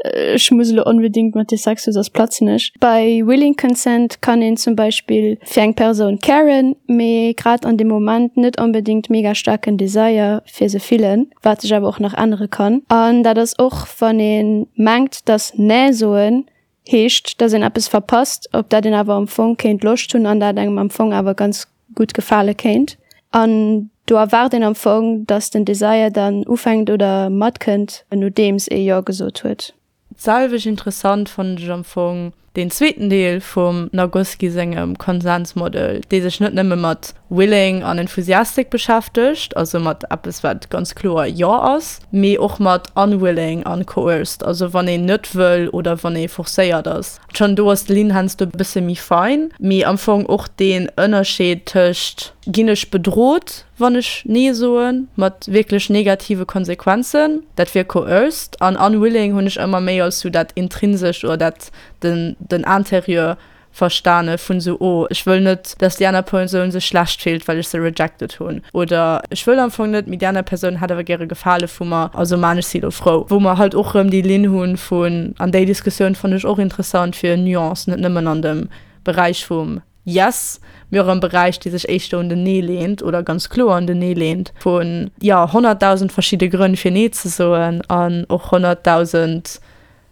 ech muss elo onbedingt mat dir Sex hu soss platzen ech. Bei willing consent kann een zum Beispill fir eng Persoun caren, mee grad an deem Moment net onbedingt mega staarken Desire fir se fillen, wat sech awer och nach ännere kann. An dat ass och wann ee mengt, dass Nee soen heescht, dass een eppes verpasst, op dat een awer am Fong kéint Loscht hunn an dat engem am Fong awer ganz gutt gefale kéint. An do erwaart een am Fong, dass den Desire dann ufänkt oder matkënnt, nodeems ee Jo gesot huet. D'selwecht interessant fannen ech am Fong deen zweeten Deel vum Nagoski sengem Konsensmodel, dee sech net nëmme mat willing an enthusiastic beschäftegt, also mat eppes wat ganz kloer Jo ass, mee och mat unwilling an coerced, also wann een net wëll oder wann ee forcéiert ass. Schonn do ass d'Linn heiansdo e bësse méi fein, mee am Fong och deen Ënnerscheed tëscht ginn ech bedrot, wann ech Nee soen, mat wierklech negative Konsequenzen, dat wier coerced, an unwilling hunn ech ëmmer méi als sou dat Intrinsescht oder dat den den Interieur verstane vun esou, oh ech wëll net, dass déi aner Persoun sech schlecht fillt, well ech se rejected hunn, oder ech wëll am Fong net, mee déi aner Persoun hätt awer gäre Gefale vu mer, also maan ech si elo frou. Wou mer halt och erëm déi Linn hunn vun, an déi Diskussioun fannen ech och interessant, fir Nuance, net nëmmen an dem Beräich vum Yes, mee och am Beräich, dee sech éischter un den Nee leent oder ganz kloer un den Nee leent, vun, jo, 100.000 verschidde Grënn fir Nee ze soen an och 100.000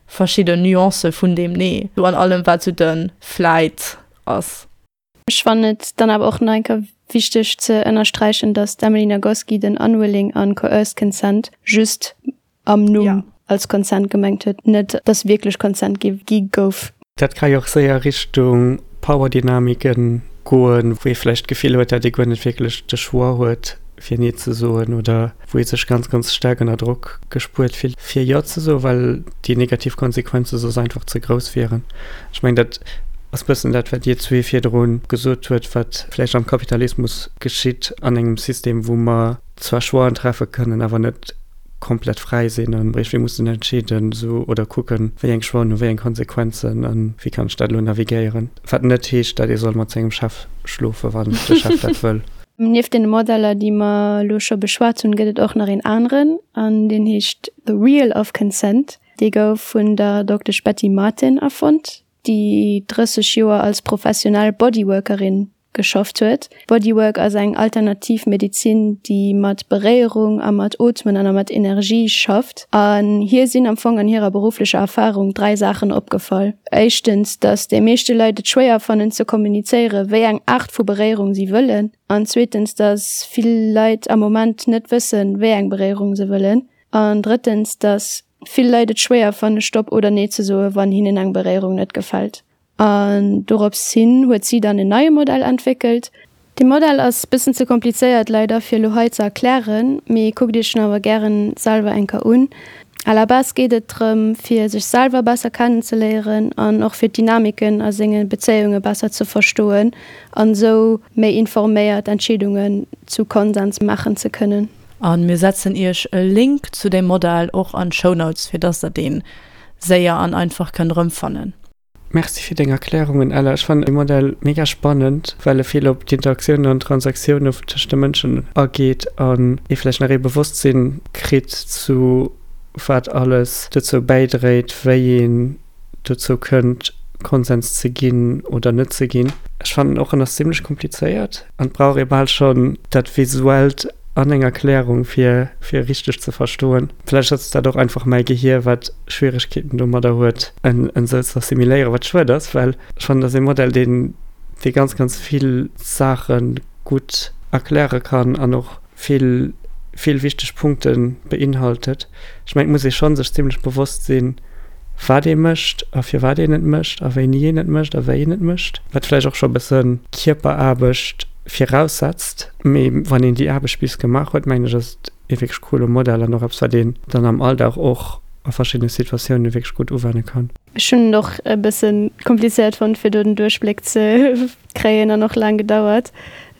verschidden Nuancë vun deem Nee, sou an allem wat sou de Flight ass. Ech fannen et dann awer och nach eng Kéier wichteg ze ënnersträichen, dass d'Emily Nagoski den unwilling an coerced consent just am Numm als Consent gemengt huet, net dass wierklech Consent gi gouf. Dat ka jo och séier Richtung Powerdynamiken goen, wou ee vläicht d'Gefill huet, dat ee guer net wierklech de Choix huet, fir Nee ze soen oder wou ee sech ganz, ganz staark ënner Drock gespuert fillt, fir Jo ze soen, well déi negativ Konsequenze soss einfach ze grouss wieren. Ech mengen, dat ass bëssen dat, wat Dir zwee virdru gesot huet, wat vläicht am Kapitalismus geschitt, an engem System, wou mer zwar Choixen treffe kënnen, awer net komplett fräi sinn an iergendwéi mussen entscheeden esou oder kucken, wéi eng Choixen hu wéi eng Konsequenzen an wéi kann ech dat elo navigéieren. Wat net heescht, datt ee soll mat sengem Chef schlofen, wann de Chef dat wëll. Nieft deene Modeller, déi mer elo scho beschwat hunn, gëtt et och nach een aneren an deen heescht The Wheel of Consent. Dee gouf vun der Doktesch Betty Martin erfonnt, déi 30 Joer als professionell Bodyworkerin geschafft huet. Bodywork ass eng alternativ Medizin, déi mat Beréierung a mat Ootmen an a mat Energie schafft. An hir sinn am Fong an hirer berufflecher Erfarung 3 Saachen opgefall. Éischtens, datt déi meeschte Leit et schwéier fannen ze kommunizéieren, wéi eng Aart vu Beréierung si wëllen. An zweetens, datt vill Leit am Moment net wëssen, wéi eng Beréierung se wëllen. An drëttens, datt vill Leit et schwéier fanne Stopp oder Nee ze soen, wann hinnen eng Beréierung net gefält. An dorops hin huet si dann en neie Modell entwéckelt. Dee Modell ass bëssen ze komplizéiert leider fir elo hei ze erklären, mee kuckt iech en awer gären selwer eng Keier un. À la base geet et drëm fir sech selwer besser kennenzeléieren an och fir d'Dynamiken a senge Bezéiunge besser ze verstoen an esou méi informéiert Entscheedungen zu Konsens maachen ze kënnen. A mir setzen iech e Link zu deem Modell och an d'Shownotes fir dass der deen séier an einfach kënnt erëmfannen. Merci fir deng Erklärungen, Ella. Ech fannen de Modell mega spannend, well e vill op d'Interaktiounen an d'Transaktiounen tëscht de Mënschen ageet an ee vläicht nach ee Bewosstsinn kritt zu wat alles dozou bäidréit, wéi een dozou kënnt, Konsens ze ginn oder net ze ginn. Ech fannen och, en ass zimlech komplizéiert an et brauch ee bal schonn dat Visuellt an eng Erklärung, fir fir e richteg ze verstoen. Vläicht ass dat och einfach mäi Gehier, wat Schwieregkeeten domadder huet, en esou ze assimiléieren, wat schued ass, well ech fannen, dat ass ee Modell, deen, dee ganz, ganz vill Saache gutt erkläre kann an och vill, vill wichteg Punkte beinhaltet. Ech mengen, et muss ee scho sech zimlech bewosst sinn, wat ee mécht a firwat een et mécht a wéini een et mécht a wéi een et mécht, wat vläicht och scho e bësse Kierperaarbecht viraussetzt. Mee wann een déi Aarbecht bis gemaach huet, mengen ech, ass et ee wierklech coole Modell an och eppes, wat een dann am Alldag och. a verschiddene Situatioune wierklech gutt uwenne kann. Ech hunn et och e bësse komplizéiert fonnt fir do den Duerchbléck ze kréien an och laang gedauert.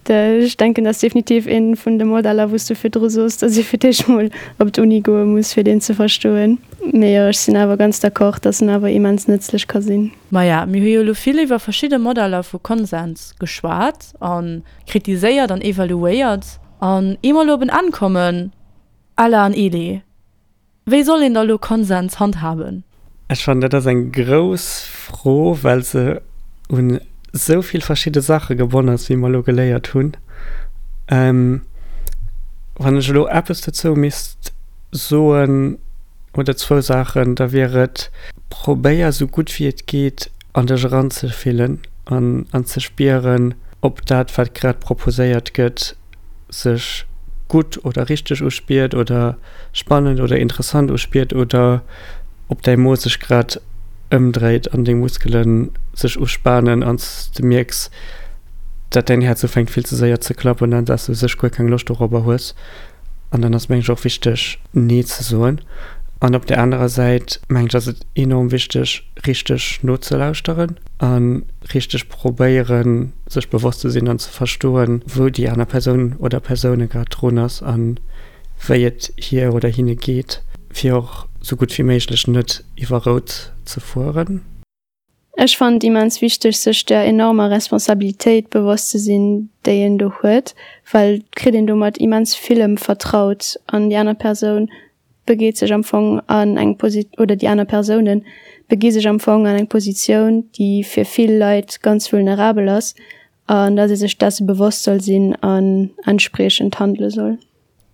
Ech denken dat ass definitiv ee vun de Modeller wou s du virdru soos, datt ee fir d'éischt mol op d'Uni goe muss fir deen ze verstoen. Mee jo, ech sinn awer ganz d'accord, datt en awer immens nëtzlech ka sinn. Maja, mir hu jo elo vill iwwer verschidde Modeller vu Konsens geschwat a kritiséiert an evaluéiert. An ier mer elo op en Enn kommen, Ella an Eli, Wéi soll een da lo Konsens handhaben? Ech fannen dat ass eng grouss Fro, well se un esou vill verschidde Saache gebonn ass, wéi mer elo geléiert hunn. Wann ech elo eppes dozou misst soen, oder zwou Saachen, da wier et, Probéier esou gutt wéi et geet an dech eranzefillen an an ze spieren, ob dat wat grad proposéiert gëtt, sech gutt oder richteg uspiert oder spannend oder interessant uspiert oder ob däi Mo sech grad ëmdréit an deng Muskele sech uspanen an s de mierks, dat däin Häerz ufänkt vill ze séier ze klappen an dass du u sech guer keng Loscht dorobber hues. An dann ass mengen ech och wichteg Nee ze soen. An op där anerer Säit mengen ech ass et enorm wichteg richteg nozelauschteren a richteg probéieren sech bewosst ze sinn an ze verstoen wou déi aner Persoun oder Persoune grad drun ass a wéi et hir oder hinne geet, fir och sou gutt wéi méiglech net iwwer rout ze fueren. Ech fannen et immens wichteg, sech der enormer Responsabilitéit bewosst ze sinn, déi een do huet, well et kritt een domat immens villem vertraut an déi aner Persoun begeet sech am Fong an eng Posi oder déi aner Persounen begi sech am Fong an eng Positioun, déi fir vill Leit ganz vulnerabel ass an dass ee sech desse bewosst soll sinn an entspriechend handele soll.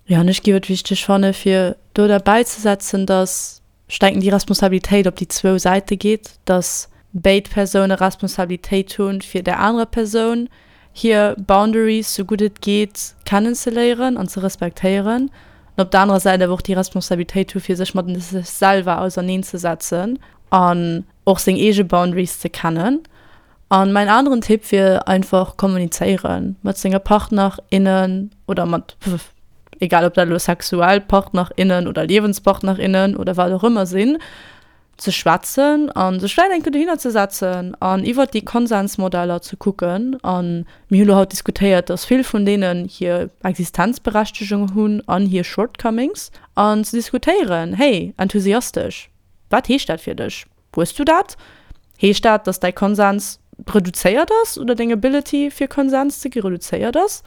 Jo, an ech géif et wichteg fanne fir do derbäizesetzen, dass ech denken, déi Responsabilitéit op déi zwou Säite geet, dass béid Persoune Responsabilitéit hunn, fir där anerer Persoun hir Boundaries, sou gutt et geet, kennenzeléieren an ze respektéieren, an op der anerer Säit awer och déi Responsabilitéit hu fir sech mat sech selwer auserneenzesetzen an och seng eege Boundaries ze kennen. An mäin aneren Tipp wier einfach kommunizéieren mat senge Partner, innen oder mat, egal ob dat elo sexuell Partner, innen oder Liewenspartner, innen oder wat och ëmmer sinn, ze schwätzen a sech vläicht eng Kéier dohinner ze setzen an iwwert déi Konsensmodeller ze kucken. A mir hu lo haut diskutéiert, dass vill vun deenen hir Existenzberechtegung hunn an hir Shortcomings an ze diskutéieren, hey, enthusiastesch, wat heescht dat fir dech? Hues du dat? Heescht dat, dass däi Konsens reduzéiert ass oder deng Ability fir Konsens ze gi reduzéiert ass?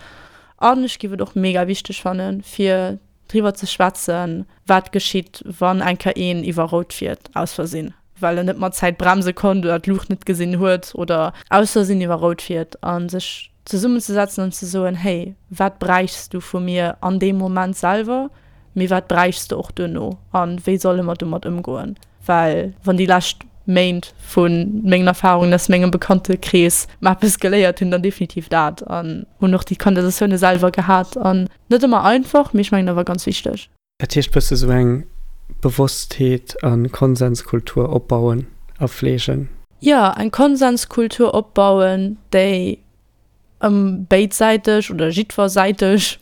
An ech giff et och mega wichteg fannen, fir driwwer ze schwätzen, wat geschitt, wann eng Kéier een iwwer rout fiert aus Versinn, well en net mat Zäit bremse konnt oder d'Luucht net gesinn huet oder aus Versinn iwwer rout fiert a sech zesummenzesetzen an ze soen, hey, wat bräichs du vu mir an deem Moment selwer? Mee wat bräichs de och duerno a wéi solle mer domat ëmgoen? Well wann déi lescht Méint vu mengen Erfarungen aus mengem Bekanntekrees mer eppes geléiert hunn, dann definitiv dat. An hunn och déi Konversatioune selwer gehat an net ëmmer einfach, mee ech mengen awer ganz wichteg. Dat heescht bësse sou eng Bewosstheet a Konsenskultur opbauen a fleegen. Jo, eng Konsenskultur opbauen, déi ëm béidsäiteg oder jiddwersäiteg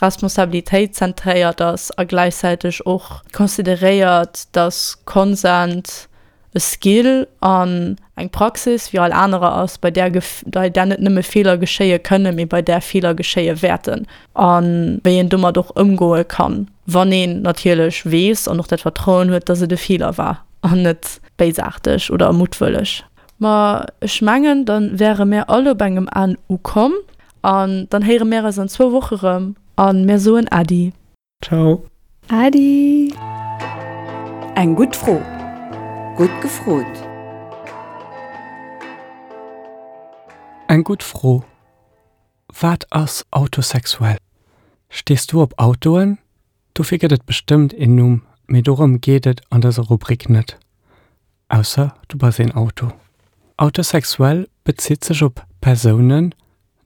Responsabilitéit zentréiert ass a gläichzäiteg och consideréiert, dass Consent e Skill an eng Praxis wéi all anerer ass, bei där bei där net nëmme Feeler geschéie kënnen, mee bei där Feeler geschéie wäerten a wéi een domat och ëmgoe kann, wann een natierlech weess an och dat Vertrauen huet, dass et e Feeler war an net béisaarteg oder muttwëlleg. Ma ech mengen, dann wäre mär all op engem Enn ukomm. An dann héiere mär eis an zwou Woche rëm a mär soen Äddi. Ciao. Äddi. Eng gutt Fro. Gutt gefrot. Eng gutt Fro. Wat ass autosexuell? Stees du op Autoen? Dofir gëtt et bestëmmt een Numm, mee dorëm geet et an dëser Rubrik net. Ausser du bass een Auto. Autosexuell bezitt sech op Persounen,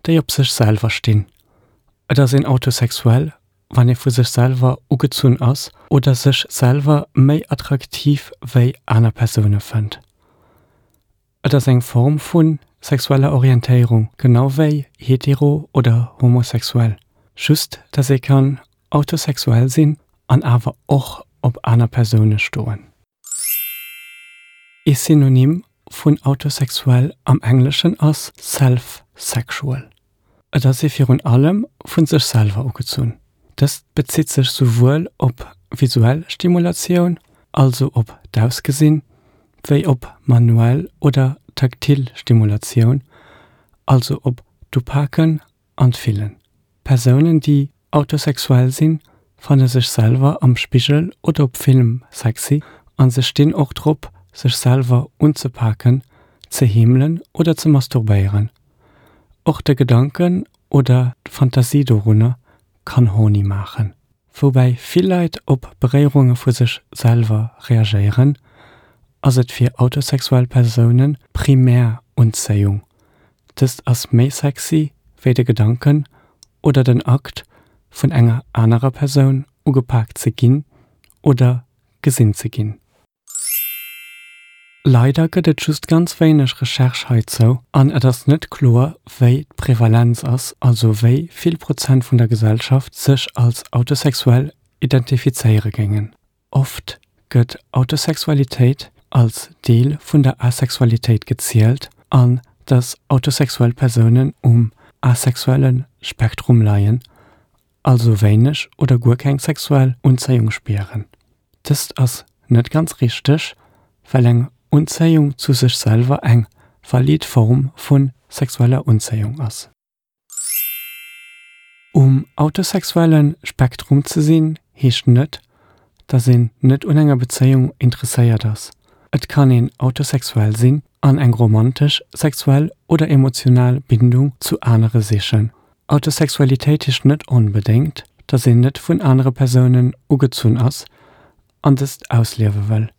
déi op sech selwer stinn. Et ass een autosexuell, wann ee vu sech selwer ugezunn ass oder sech selwer méi attraktiv wéi aner Persoune fënnt. Et ass eng Form vu sexueller Orientéierung, genau wéi hetero oder homosexuell, just dass ee kann autosexuell sinn an awer och op aner Persoune stoen. Ee Synonym vun autosexuell am Engleschen ass self-sexual. Et ass ee virun allem vu sech selwer ugezunn. Dëst bezitt sech souwuel op visuell Stimulatioun, also op d'Ausgesinn, wéi op manuell oder taktil Stimulatioun, also op d'Upaken an d'Fillen. Persounen, déi autosexuell sinn, fanne sech selwer am Spigel oder op Film sexy an se stinn och drop, sech selwer unzepaken, ze heemelen oder ze masturbéieren. Och de Gedanken oder d'Fantasie dorunner kann horny maachen. Woubäi vill Leit op Beréierunge vu sech selwer reagéieren, ass et fir autosexuell Persoune primär Unzéiung. Dëst ass méi sexy wéi de Gedanken oder den Akt, vun enger anerer Persoun ugepak ze ginn oder gesinn ze ginn. Leider gëtt et just ganz wéineg Recherche heizou an et ass net kloer, wéi d'Prevalenz ass, also wéi vill Prozent vun der Gesellschaft sech als autosexuell identifizéiere géingen. Oft gëtt Autosexualitéit als Deel vun der Asexualitéit gezielt an dass autosexuell Persounen um asexuelle Spektrum leien, also wéineg oder guer keng sexuell Unzéiung spieren. Dëst ass net ganz richteg, well eng Unzéiung zu sech selwer eng valid Form vu sexueller Unzéiung ass. Um autosexuelle Spektrum ze sinn, heescht net, dass een net un enger Bezéiung interesséiert ass. Et kann een autosexuell sinn an eng romantesch, sexuell oder emotional Bindung zu anere sichen. Autosexualitéit heescht net onbedéngt, dass een net vun anere Persounen ugezunn ass an dëst ausliewe wëll.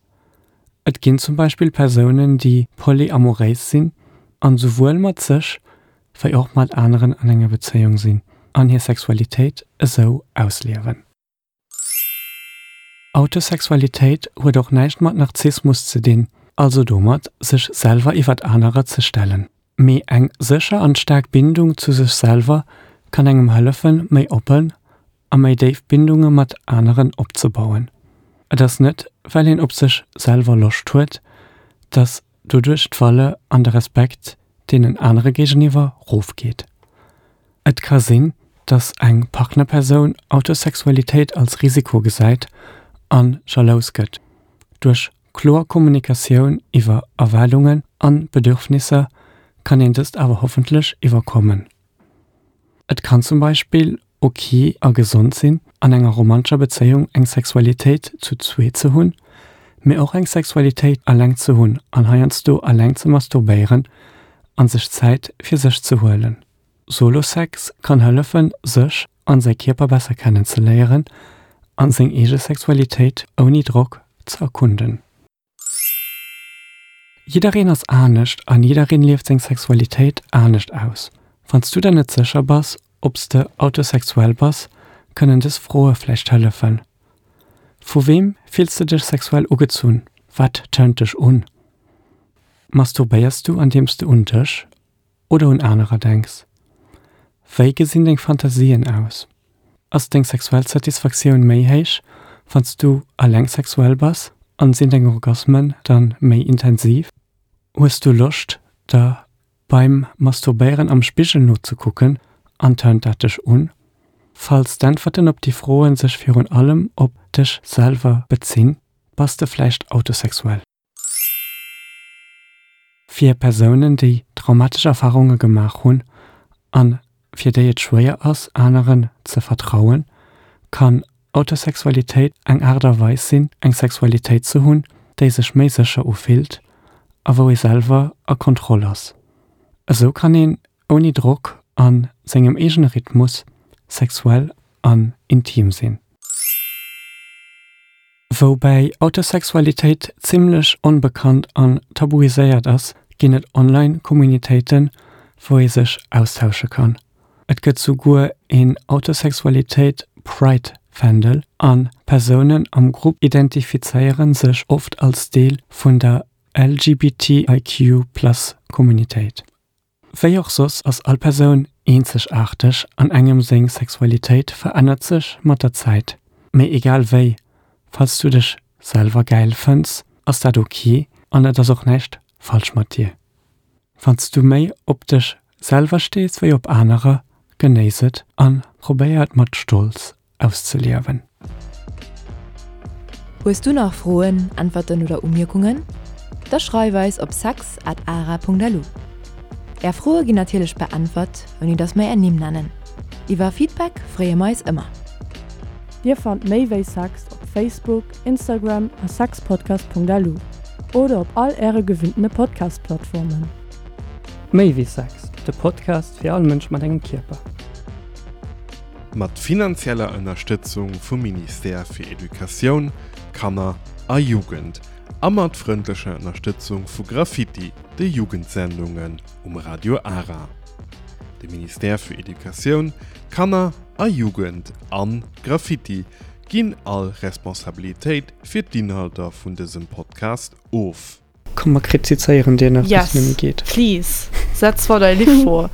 Et ginn zum Beispill Persounen, déi polyamoréis sinn an souwuel mat sech wéi och mat aneren an enger Bezéiung sinn an hir Sexualitéit esou ausliewen. Autosexualitéit huet och näischt mat Narzissmus ze dinn, also domat, sech selwer iwwert anerer ze stellen. Mee eng sécher an staark Bindung zu sech selwer kann engem hëllefen, méi oppen a méi déif Bindunge mat aneren opzebauen. Et ass net, well een op sech selwer Loscht huet, dass doduerch d'Valeur an de Respekt deenen anere géigeniwwer rofgeet. Et ka sinn, dass eng Partnerpersoun Autosexualitéit als Risiko gesäit a jalous gëtt. Duerch kloer Kommunikatioun iwwer Erwaardungen an Bedürfnisser kann een dëst awer hoffentlech iwwerkommen. Et kann zum Beispill ok a gesond sinn, an enger romantescher Bezéiung eng Sexualitéit zu zweet ze hunn, mee och eng Sexualitéit alleng ze hunn an heiansdo alleng ze masturbéieren an sech Zäit fir sech ze huelen. Solo-Sex kann hëllefen, sech an säi Kierper besser kennen ze léieren an seng eege Sexualitéit ouni Drock ze erkunden. Jiddereen ass anescht an jiddereen lieft seng Sexualitéit anescht aus. Wann s du der net sécher bass, ob s de autosexuell bass, kënnen dës Froe vläicht hëllefen, Vu weem fills de dech sexuell ugezunn? Wat turnt dech un? Masturbéiers du andeems de un dech oder un anerer denks? Wéi gesinn deng Fantasien aus? Ass deng sexuell Satisfaktioun méi héich, wann s du alleng sexuell bass an sinn deng Orgasmen dann méi intensiv? Hues du Loscht der beim Masturbéieren am Spigel nozekucken an turnt dat dech un? Falls d'Äntwerten op déi Froen sech virun allem op dech selwer bezinn, bass de vläicht autosexuell. Fir Persounen, déi traumatesch Erfarunge gemaach hunn an fir déi et schwéier ass, aneren ze vertrauen, kann Autosexualitéit eng Aart a Weis sinn, eng Sexualitéit ze hunn, déi sech méi sécher ufillt a wou ee selwer a Kontroll ass. Esou kann een ouni Drock a sengem eegene Rhythmus sexuell an intim sinn. Woubäi Autosexualitéit zimmlech onbekannt an tabuiséiert ass, ginn et online Communitéiten, wou ee sech austausche kann. Et gëtt souguer een Autosexualitéit Pride Fändel an Persounen am Grupp identifizéiere sech oft als Deel vun der LGBTIQ Plus Communitéit. Wéi och soss ass all Persoun eenzegaarteg an engem seng Sexualitéit verännert sech mat der Zäit. Mee egal wéi, falls du dech selwer gäil fënns, ass dat ok An et ass och näischt falsch mat dir. Wann s du méi op dech selwer stees wéi op anerer, genéiss et an probéier et mat Stolz auszeliewen. Hues du nach Froen, Äntwerten oder Umierkungen? Da schreif eis op sex at ara.lu. Är Froe ginn natierlech beäntwert, ouni dass mer är Nimm nennen. Iwwer Feedback freeë mer eis ëmmer. Dir fannt méi wéi Sex op Facebook, Instagram a sexpodcast.lu oder op all äre gewinntene Podcast-Plattformen. Méi wéi Sex, de Podcast fir all Mënsch mat engem Kierper. Mat finanzieller Ënnerstëtzung vum Ministère fir Educatioun, Kanner a Jugend a mat frëndlecher Ënnerstëtzung vu Graffiti, de Jugendsendungen um Radio Ara. De Ministère fir Educatioun, Kanner a Jugend an Graffiti ginn all Responsabilitéit fir d'Inhalter vun dësem Podcast of. Komm mer kritizéieren dir nach bis et net méi geet. Yes, please, setz mer dei Lidd vor.